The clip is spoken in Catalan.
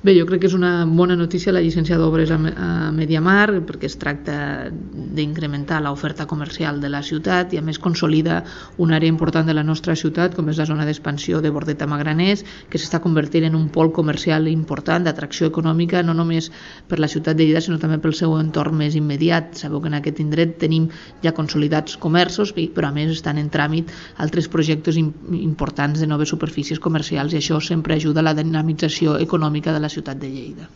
Bé, jo crec que és una bona notícia la llicència d'obres a Mediamar, perquè es tracta d'incrementar l'oferta comercial de la ciutat i a més consolida una àrea important de la nostra ciutat, com és la zona d'expansió de Bordet-a-Magraners, que s'està convertint en un pol comercial important, d'atracció econòmica, no només per la ciutat de Lleida, sinó també pel seu entorn més immediat. Sabeu que en aquest indret tenim ja consolidats comerços, però a més estan en tràmit altres projectes importants de noves superfícies comercials i això sempre ajuda a la dinamització econòmica de la ciutat de Lleida.